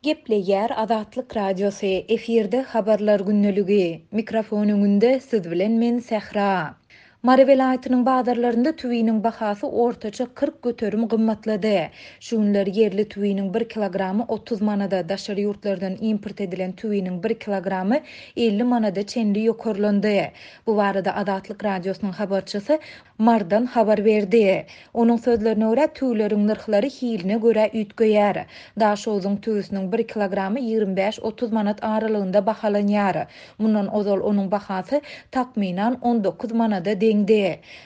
Gepleýär Azatlyk Radiosy, efirde Habarlar gündeligi. Mikrofon öňünde siz bilen men Sähra. Mary welaýatynyň bazarlarynda tüwiniň bahasy ortaça 40% gymmatlady. Şu günler ýerli tüwiniň bir kilogramy 30 manada, daşary ýurtlardan import edilen tüwiniň bir kilogramy 50 manada çenli ýokarlandy. Bu barada Azatlyk Radiosynyň habarçysy Marydan habar berdi. Onuň sözlerine görä, tüwüleriň nyrhlary hiline görä üýtgeýär. Daşogzuň tüwüsiniň bir kilogramy 25-30 manat aralygynda bahalanýar. Mundan ozal onuň bahasy, takmynan, 19 manada deňdi.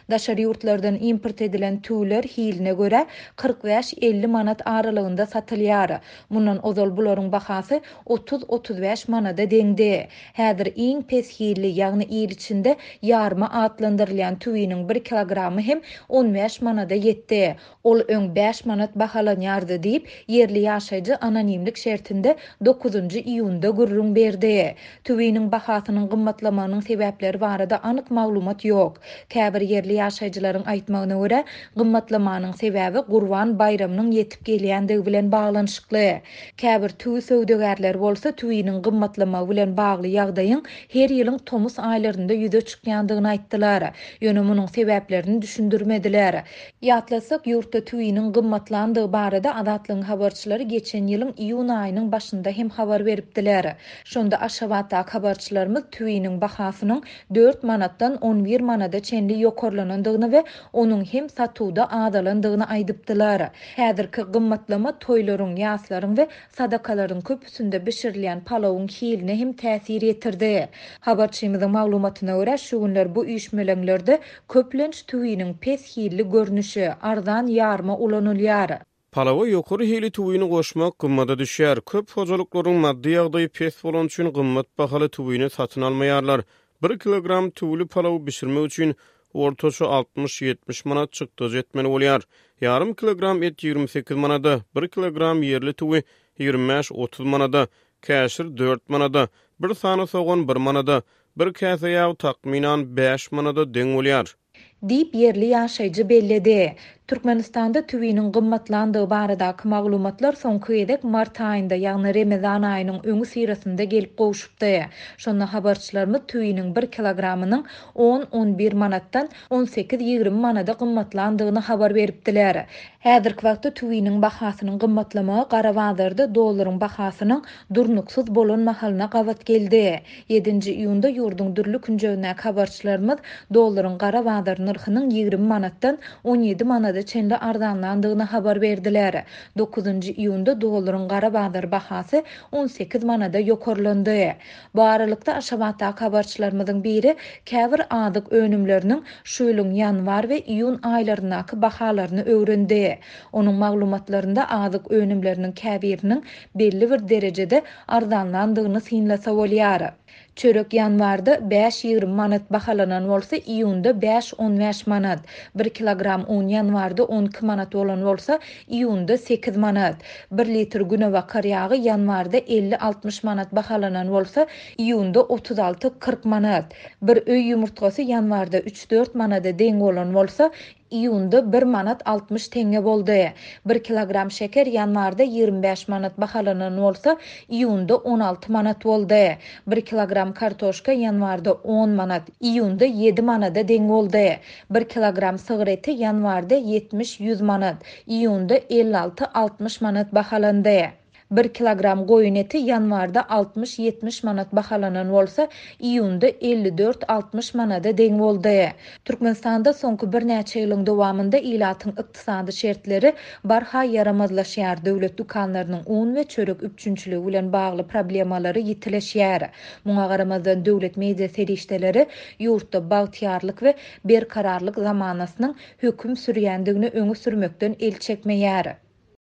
Daşary ýurtlardan import edilen tüwüler hiline görä 45-50 manat aralygynda satylýar. Mundan ozal bularyň bahasy 30-35 manada deňdi. Häzir iň pes hilli, ýagny il içinde ýarma atlandyrylýan tüwiniň bir kilogramy hem 15 manada ýetdi. Ol öň bäş manat bahalanýardy diýip, ýerli ýaşaýjy anonimlik şertinde dokuzynjy iýunda gürrüň berdi. Tüwiniň bahasynyň gymmatlamagynyň sebäpleri barada anyk maglumat ýok. Käbir ýerli ýaşaýjylaryň aýtmagyna görä, gymmatlamanyň sebäbi Gurban baýramynyň ýetip gelýändigi bilen baglanyşykly. Käbir tüwi söwdagärleri bolsa tüwiniň gymmatlamagy bilen bagly ýagdaýyň her ýylyň tomus aýlarynda ýüze çykýandygyny aýtdylar. Ýöne munuň sebäplerini düşündirmediler. Ýatlatsak, ýurtda tüwiniň gymmatlandygy barada Azatlygyň habarçylary geçen ýylyň iýun aýynyň başynda hem habar beripdiler. Şonda Aşgabatdaky habarçylarymyz tüwiniň bahasynyň dört manatdan 11 manada çenli ýokarlanandygyny we onuň hem satuwda azalandygyny aýdypdylar. Häzirki gymmatlama toýlaryň, ýaslaryň we sadakalaryň köpüsinde bişirilýän palawyň hiline hem täsir ýetirdi. Habarçymyzyň maglumatyna görä, şu günler bu üýşmeleňlerde köplenç tüwiniň pes hilli görnüşi, arzan ýarma ulanylýar. Palawa ýokary hili tüwini goşmak gymmada düşýär. Köp hojalyklaryň maddy ýagdaýy pes bolany üçin gymmat bahaly tüwini satyn almaýarlar. Bir kilogram tüwüli palawy bişirmek üçin ortaça 60-70 manat çykdajy etmeli bolýar. Ýarym kilogram et 28 manada, bir kilogram ýerli tüwi 25-30 manada, käşir dört manada, bir sany sogan bir manada, bir käse ýag takmynan bäş manada deň bolýar. Diýip, ýerli ýaşaýjy belledi. Türkmenistanda tüwiniň gymmatlandygy baradaky maglumatlar soňky gezek mart aýynda, ýagny Remezan aýynyň öňüsyrasynda gelip gowşupdy. Şonda habarçylarymyz tüwiniň bir kilogramynyň on-on bir manatdan on sekiz-ýigrimi manada gymmatlandygyny habar beripdiler. Häzirki wagtda tüwiniň bahasynyň gymmatlamagy gara bazarda dollaryň bahasynyň durnuksyz bolan mahalyna gabat geldi. Ýedinji iýunda ýurduň dürli künjegindäki habarçylarymyz dollaryň gara bazar nyrhynyň 20 manatdan 17 manada çenli arzanlandygyny habar berdiler. Dokuzynjy iýunda dollaryň gara bazar bahasy 18 manada ýokarlandy. Bu aralykda, Aşgabatdaky habarçylarymyzyň biri käbir azyk önümleriniň şu ýylyň ýanwar we iýun aýlaryndaky bahalaryny öwrendi. Onuň maglumatlarynda azyk önümleriniň käbiriniň belli bir derejede arzanlandygyny synlasa bolýar. Çörek ýanwarda bäş 20 manat bahalanan bolsa, iýunda bäş 15 manat. Bir kilogram un ýanwarda 12 manat bolan bolsa, iýunda sekiz manat. Bir litr günebakar ýagy ýanwarda elli-altmyş manat bahalanan bolsa, iýunda 36-40 manat. Bir öý ýumurtgasy ýanwarda üç-dört manada deň bolan bolsa, iýunda bir manat 60 teňňe boldy. Bir kilogram şeker ýanwarda 25 manat bahalanan bolsa, iýunda 16 manat boldy. Bir kilogram kartoşka ýanwarda on manat, iýunda ýedi manada deň boldy. Bir kilogram sygyr eti ýanwarda ýetmiş-ýüz manat, iýunda 56-60 manat bahalandy. Bir kilogram goýun eti ýanwarda 60-70 manat bahalanan bolsa, iýunda 54-60 manada deň boldy. Türkmenistanda soňky birnäçe ýylyň dowamynda ilatyň ykdysady şertleri barha ýaramazlaşýar, döwlet dükanlarynyň un we çörek üpjünçiligi bilen bagly problemalary ýitileşýär. Muňa garamazdan, döwlet media serişdeleri ýurtda bagtyýarlyk we berkararlyk zamanasynyň höküm sürýändigini öňe sürmekden el çekmeýär.